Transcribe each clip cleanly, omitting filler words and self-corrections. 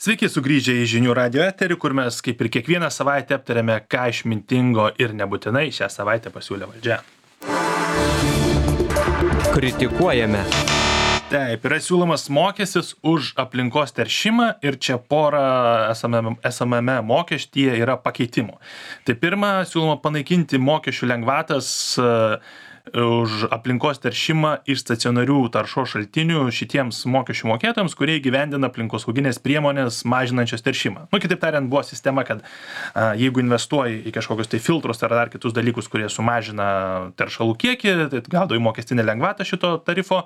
Sveiki sugrįžę į žinių radio eterį, kur mes kaip ir kiekvieną savaitę aptarėme, ką išmintingo ir nebūtinai šią savaitę pasiūlė valdžia. Kritikuojame. Taip, yra siūlomas mokestis už aplinkos teršimą ir čia pora esamame mokestyje yra pakeitimų. Tai pirma, siūloma panaikinti mokesčių lengvatas už aplinkos teršimą iš stacionarių taršos šaltinių šitiems mokesčių mokėtojams, kurie įgyvendina aplinkosauginės priemonės mažinančios teršimą. Kitaip tariant, buvo sistema, kad jeigu investuoji į kažkokius tai filtrus ar dar kitus dalykus, kurie sumažina teršalų kiekį, tai gaudai mokestinę lengvatą šito tarifo,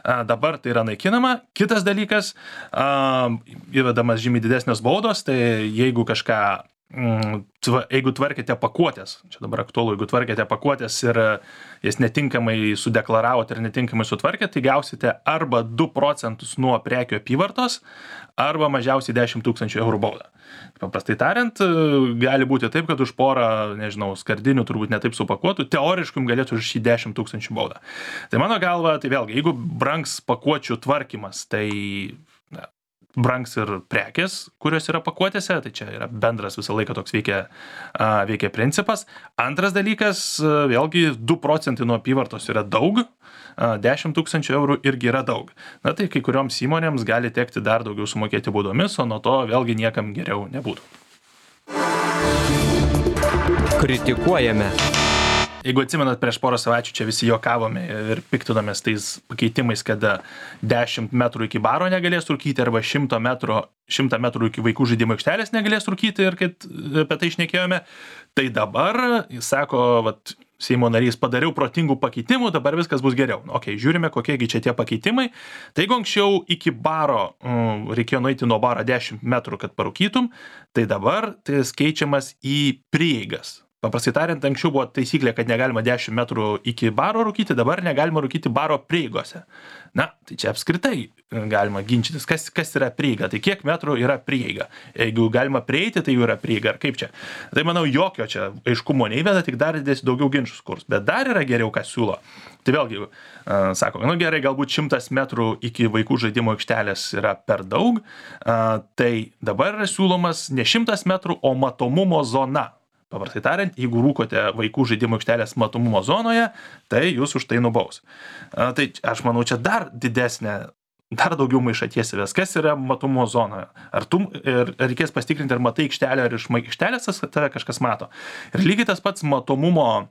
dabar tai yra naikinama. Kitas dalykas, įvedamas žymiai didesnės baudos, tai jeigu tvarkėte pakuotės, čia dabar aktualu, jeigu tvarkėte pakuotės ir jas netinkamai sudeklaravote ir netinkamai sutvarkėte, tai gausite arba 2% nuo prekių apyvartos, arba mažiausiai 10 000 eurų baudą. Paprastai tariant, gali būti taip, kad už porą, skardinių turbūt netaip supakuotų, teoriškai galėtų už 10 000 baudą. Tai mano galva, tai vėlgi, jeigu brangs pakuočių tvarkymas, tai brangs ir prekės, kurios yra pakuotėse, tai čia yra bendras visą laiką toks veikia principas. Antras dalykas, vėlgi 2% nuo apyvartos yra daug, 10 000 eurų irgi yra daug. Tai kai kurioms įmonėms gali tekti dar daugiau sumokėti baudomis, o nuo to vėlgi niekam geriau nebūtų. Kritikuojame. Jeigu atsimenat, prieš porą savaičių čia visi juokavome ir piktinomės tais pakeitimais, kad 10 metrų iki baro negalės rūkyti arba 100 metrų iki vaikų žaidimų aikštelės negalės rūkyti ir kad apie tai šnekėjome, tai dabar, jis sako, Seimo narys, padariau protingų pakeitimų, dabar viskas bus geriau. Žiūrime, kokiegi čia tie pakeitimai. Tai jeigu anksčiau iki baro reikėjo nueiti nuo baro 10 metrų, kad parūkytum, tai dabar tai keičiamas į prieigas. Paprastai tariant, anksčiau buvo taisyklė, kad negalima 10 metrų iki baro rūkyti, dabar negalima rūkyti baro prieigose. Tai čia apskritai galima ginčytis, kas yra prieiga, tai kiek metrų yra prieiga. Jeigu galima prieiti, tai jau yra prieiga, ar kaip čia. Tai manau, jokio čia aiškumo neįveda, tik dar didės daugiau ginčius kurs. Bet dar yra geriau, kas siūlo. Tai vėlgi, sako, gerai, galbūt 100 metrų iki vaikų žaidimo aikštelės yra per daug, tai dabar yra siūlomas ne 100 metrų, o matomumo zona. Paprastai tariant, jeigu rūkote vaikų žaidimo aikštelės matomumo zonoje, tai jūs už tai nubaus. Tai aš manau, čia dar daugiau maišaties įves. Kas yra matomumo zonoje? Ar reikės pasitikrinti, ar matai aikštelę, ar iš aikštelės tave kažkas mato. Ir lygiai tas pats matomumo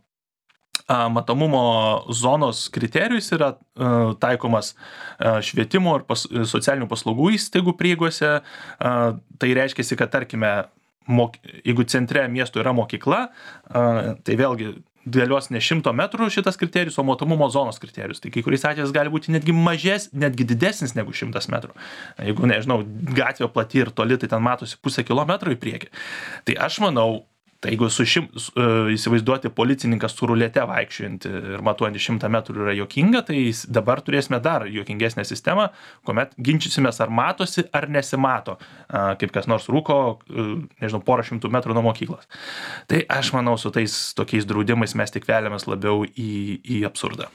zonos kriterijus yra taikomas švietimo ir socialinių paslaugų įstaigų prieigose. Tai reiškia, kad tarkime, jeigu centre miesto yra mokykla, tai vėlgi galios ne 100 metrų šitas kriterijus, o matomumo zonos kriterijus. Tai kai kuriais atvejais gali būti netgi didesnis negu 100 metrų. Jeigu, gatvė plati ir toli, tai ten matosi pusę kilometro į priekį. Tai aš manau, tai jeigu įsivaizduoti policininką su rulete vaikščiojantį ir matuojantį 100 metrų yra juokinga, tai dabar turėsime dar juokingesnę sistemą, kuomet ginčysimės, ar matosi, ar nesimato, kaip kas nors rūko, porą 100 metrų nuo mokyklos. Tai aš manau, su tais tokiais draudimais mes tik veliamės labiau į absurdą.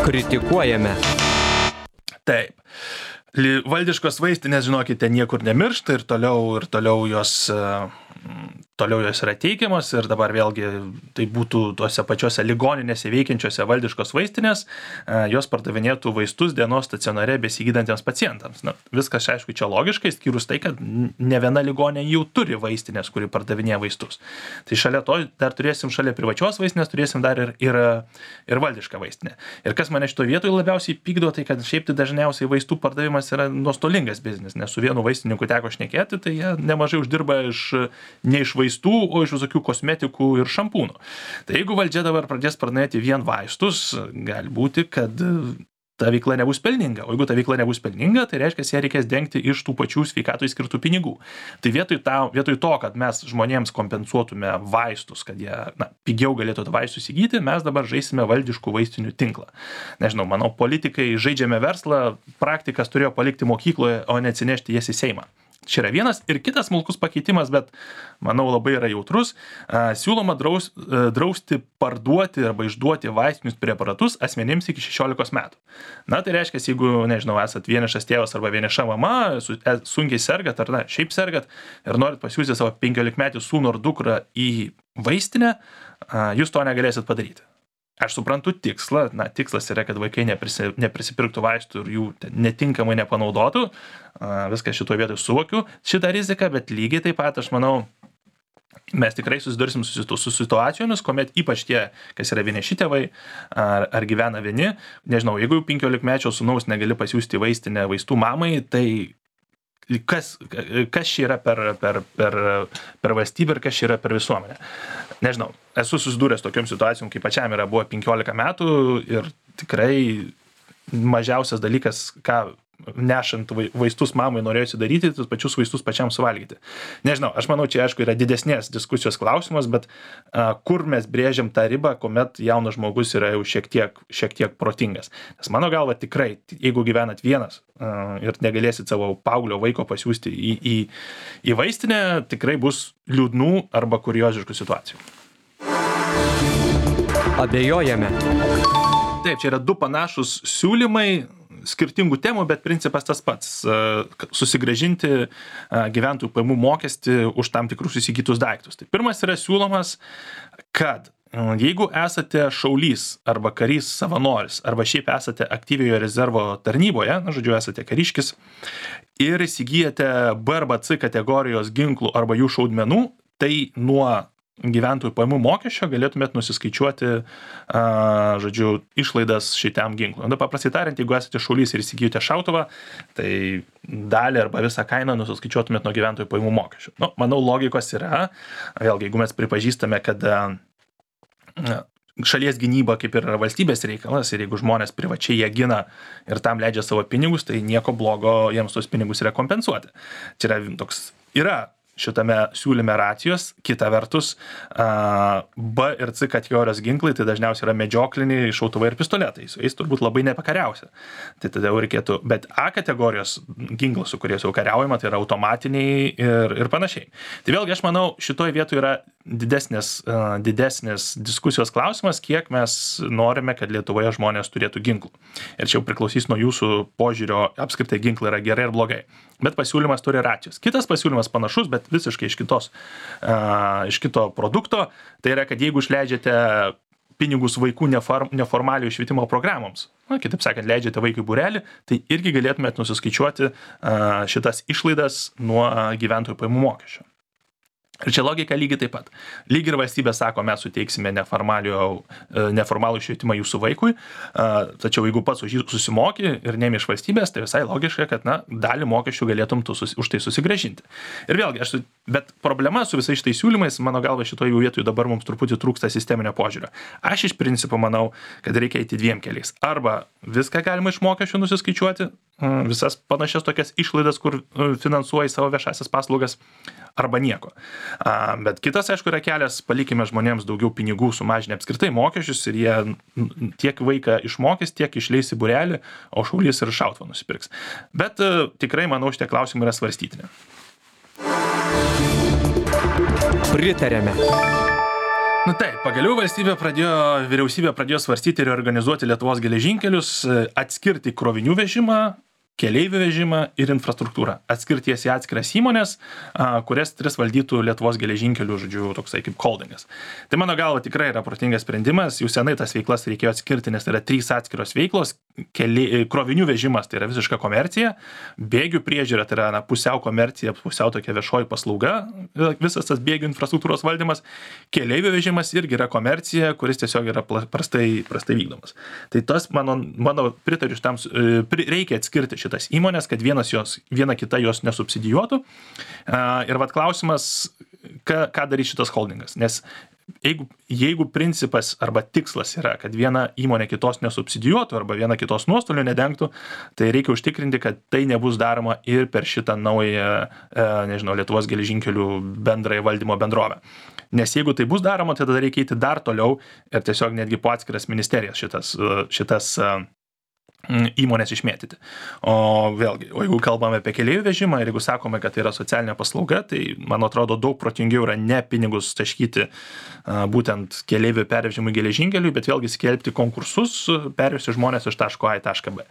Kritikuojame. Taip. Valdiškos vaistinės, žinokite, niekur nemiršta ir toliau jos yra teikiamas ir dabar vėlgi tai būtų tuose pačiose ligoninėse veikiančiose valdiškos vaistinės, jos pardavinėtų vaistus dienos stacionare besigydantiems pacientams. Viskas, aišku, čia logiškai, skyrus tai, kad ne viena ligoninė jau turi vaistinės, kuri pardavinėja vaistus. Tai šalia to dar turėsim šalia privačios vaistinės, turėsim dar ir valdišką vaistinę. Ir kas mane šitoje vietoje labiausiai pykdo, tai kad šiaip tai dažniausiai vaistų pardavimas yra nuostolingas biznis, nes su vienu vaistininku teko šnekėti, tai jie nemažai uždirba ne iš vaistų, o iš visokių kosmetikų ir šampūnų. Tai jeigu valdžia dabar pradės pardavinėti vien vaistus, gali būti, kad ta veikla nebus pelninga. O jeigu ta veikla nebus pelninga, tai reiškia, ją reikės dengti iš tų pačių sveikatoj skirtų pinigų. Tai vietoj to, kad mes žmonėms kompensuotume vaistus, kad jie pigiau galėtų tą vaistus įgyti, mes dabar žaisime valdiškų vaistinių tinklą. Manau, politikai žaidžiame verslą, praktikas turėjo palikti mokykloje, o ne atsinešti jas į Seimą. Čia yra vienas ir kitas smulkus pakeitimas, bet manau labai yra jautrus. Siūloma drausti parduoti arba išduoti vaistinius preparatus asmenims iki 16 metų. Na, tai reiškia, jeigu, nežinau, esat vienišas tėvas arba vieniša mama, sunkiai sergat ar šiaip sergat ir norit pasiūsti savo 15-metį sūnų ar dukrą į vaistinę, jūs to negalėsit padaryti. Aš suprantu tikslą, tikslas yra, kad vaikai neprisipirktų vaistų ir jų netinkamai nepanaudotų, viską šitoje vietoje suvokiu šitą riziką, bet lygiai taip pat, aš manau, mes tikrai susidursim su situacijomis, kuomet ypač tie, kas yra vieniši tėvai ar gyvena vieni, nežinau, jeigu 15-mečio sūnaus negali pasiųsti į vaistinę vaistų mamai, tai kas čia yra per valstybę ir kas čia yra per visuomenę. Nežinau, esu susidūręs tokiom situacijom, kai pačiam buvo 15 metų ir tikrai mažiausias dalykas, ką nešant vaistus mamai norėjusi daryti, tos pačius vaistus pačiam suvalgyti. Nežinau, aš manau, čia aišku yra didesnės diskusijos klausimas, bet kur mes brėžiam tą ribą, kuomet jaunas žmogus yra jau šiek tiek protingas. Nes mano galva tikrai, jeigu gyvenat vienas ir negalėsit savo paauglio vaiko pasiųsti į vaistinę, tikrai bus liūdnų arba kurioziškų situacijų. Abejojame. Taip, čia yra du panašus siūlymai, skirtingų temų, bet principas tas pats – susigrąžinti gyventojų pajamų mokestį už tam tikrus įsigytus daiktus. Tai pirmas yra siūlomas, kad jeigu esate šaulys arba karys savanoris arba šiaip esate aktyviojo rezervo tarnyboje, žodžiu, esate kariškis ir įsigyjate B arba C kategorijos ginklų arba jų šaudmenų, tai nuo gyventojų pajamų mokesčio galėtumėt nusiskaičiuoti, žodžiu, išlaidas šitam ginklui. Paprastai tariant, jeigu esate šaulys ir įsigyjote šautuvą, tai dalį arba visą kainą nusiskaičiuotumėt nuo gyventojų pajamų mokesčio. Manau, logikos yra. Vėlgi, jeigu mes pripažįstame, kad šalies gynyba kaip ir yra valstybės reikalas ir jeigu žmonės privačiai jie gina ir tam leidžia savo pinigus, tai nieko blogo jiems tos pinigus yra kompensuoti. Čia yra toks, šitame siūlyme racijos, kita vertus, B ir C kategorijos ginklai, tai dažniausiai yra medžiokliniai šautuvai ir pistoletai, su jais turbūt labai nepakariausia. Tai tada jau reikėtų, bet A kategorijos ginklus, su kuriais jau kariaujama, tai yra automatiniai ir panašiai. Tai vėlgi aš manau, šitoje vietoje yra didesnės diskusijos klausimas, kiek mes norime, kad Lietuvoje žmonės turėtų ginklų. Ir čia jau priklausys nuo jūsų požiūrio, apskritai ginklai yra gerai ir blogai. Bet pasiūlymas turi racijos. Kitas pasiūlymas panašus, bet visiškai iš kito produkto, tai yra, kad jeigu išleidžiate pinigus vaikų neformaliojo švietimo programoms, kitaip sakant, leidžiate vaikui būrelį, tai irgi galėtumėt nusiskaičiuoti šitas išlaidas nuo gyventojų pajamų mokesčio. Ir čia logika lygiai taip pat. Lygiai ir valstybė sako, mes suteiksime neformalų švietimą jūsų vaikui, tačiau jeigu pats už jį susimoki ir neimi iš valstybės, tai visai logiška, kad dalį mokesčių galėtum už tai susigrąžinti. Ir vėlgi, bet problema su visais šitais siūlymais, mano galva, šitoje vietoje dabar mums truputį trūksta sisteminio požiūrio. Aš iš principo manau, kad reikia eiti dviem keliais. Arba viską galima iš mokesčių nusiskaičiuoti, visas panašias tokias išlaidas, kur finansuoji savo viešasias paslaugas, arba nieko. Bet kitas, aišku, yra kelias, palikime žmonėms daugiau pinigų, sumažinę apskritai mokesčius ir jie tiek vaiką išmokys, tiek išleis į būrelį, o šaulys ir šautuvą nusipirks. Bet tikrai, manau, šitie klausimai yra svarstytini. Pritarėme. Taip, pagaliau vyriausybė pradėjo svarstyti ir organizuoti Lietuvos geležinkelius, atskirti krovinių vežimą, keleivių vežimą ir infrastruktūrą. Atskirti jas į atskiras įmonės, kurias tris valdytų Lietuvos geležinkelių, žodžiu, toksai kaip holdingas. Tai mano galva tikrai yra protingas sprendimas, jau senai tas veiklas reikėjo atskirti, nes tai yra 3 atskiros veiklos, krovinių vežimas tai yra visiška komercija, bėgių priežiūra tai yra pusiau komercija, pusiau tokia viešoji paslauga, visas tas bėgių infrastruktūros valdymas, keleivių vežimas irgi yra komercija, kuris tiesiog yra prastai vykdomas. Tai tas, mano pritariu šitam, reikia atskirti šitas įmonės, kad viena kita jos nesubsidijuotų. Ir klausimas, ką darys šitas holdingas. Nes jeigu principas arba tikslas yra, kad viena įmonė kitos nesubsidijuotų arba viena kitos nuostolių nedengtų, tai reikia užtikrinti, kad tai nebus daroma ir per šitą naują, Lietuvos geležinkelių bendrąją valdymo bendrovę. Nes jeigu tai bus daroma, tai tada reikia eiti dar toliau ir tiesiog netgi po atskiras ministerijas šitas įmonės išmėtyti. O vėlgi, jeigu kalbame apie keleivių vežimą ir jeigu sakome, kad tai yra socialinė paslauga, tai man atrodo daug protingiau yra ne pinigus taškyti būtent keleivių pervežimui geležinkeliui, bet vėlgi skelbti konkursus, pervesti žmonės iš taško A į tašką B.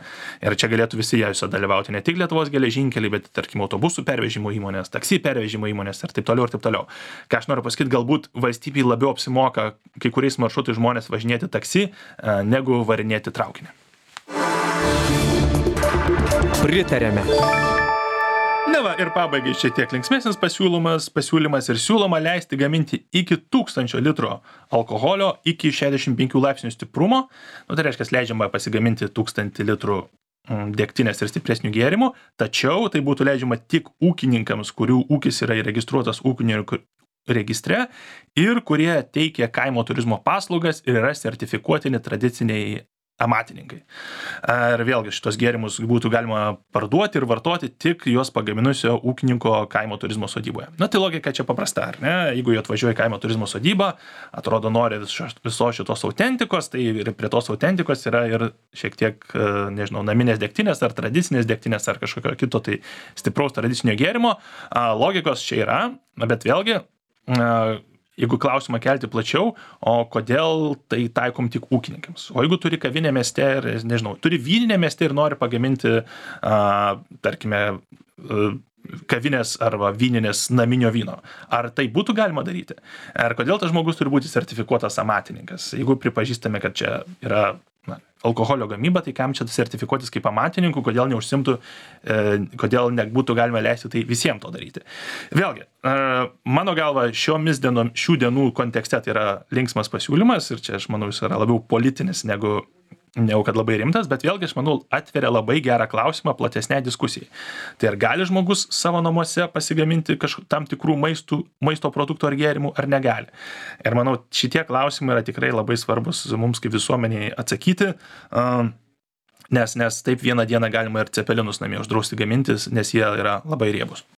Ir čia galėtų visi jose dalyvauti, ne tik Lietuvos geležinkeliai, bet tarkim autobusų pervežimo įmonės, taksi pervežimo įmonės ir taip toliau ir taip toliau. Ką aš noriu pasakyti, galbūt valstybei labiau apsimoka kai kuriais maršrutais žmonės važinėti taksi, negu varinėti traukinį. Pritarėme. Na va, ir pabaigai šiek tiek linksmesnis pasiūlymas ir siūloma leisti gaminti iki 1000 litrų alkoholio iki 65 laipsnių stiprumo. Tai reiškia, leidžiama pasigaminti 1000 litrų degtinės ir stipresnių gėrimų, tačiau tai būtų leidžiama tik ūkininkams, kurių ūkis yra įregistruotas ūkininkų registre ir kurie teikia kaimo turizmo paslaugas ir yra sertifikuotini tradiciniai amatininkai. Ir vėlgi šitos gėrimus būtų galima parduoti ir vartoti tik juos pagaminusio ūkininko kaimo turizmo sodyboje. Na tai logika čia paprasta, ar ne? Jeigu jie atvažiuoja į kaimo turizmo sodybą, atrodo nori viso šitos autentikos, tai ir prie tos autentikos yra ir šiek tiek, nežinau, naminės degtinės ar tradicinės degtinės ar kažkokio kito tai stipraus tradicinio gėrimo. Logikos čia yra, bet vėlgi jeigu klausimą kelti plačiau, o kodėl tai taikom tik ūkininkams? O jeigu turi kavinę mieste ir, nežinau, turi vyninę mieste ir nori pagaminti, tarkime, kavinės arba vyninės naminio vyno. Ar tai būtų galima daryti? Ar kodėl tas žmogus turi būti sertifikuotas amatininkas? Jeigu pripažįstame, kad čia yra alkoholio gamyba, tai kam čia sertifikuotis kaip amatininkų, kodėl neužsimtų, kodėl nebūtų galima leisti tai visiems to daryti. Vėlgi, mano galva, šių dienų kontekste tai yra linksmas pasiūlymas ir čia aš manau jis yra labiau politinis negu kad labai rimtas, bet vėlgi aš manau atveria labai gerą klausimą platesnei diskusijai. Tai ar gali žmogus savo namuose pasigaminti tam tikrų maisto produktų ar gėrimų, ar negali. Ir manau šitie klausimai yra tikrai labai svarbus mums kaip visuomeniai atsakyti, nes taip vieną dieną galima ir cepelinus namie uždrausti gamintis, nes jie yra labai riebus.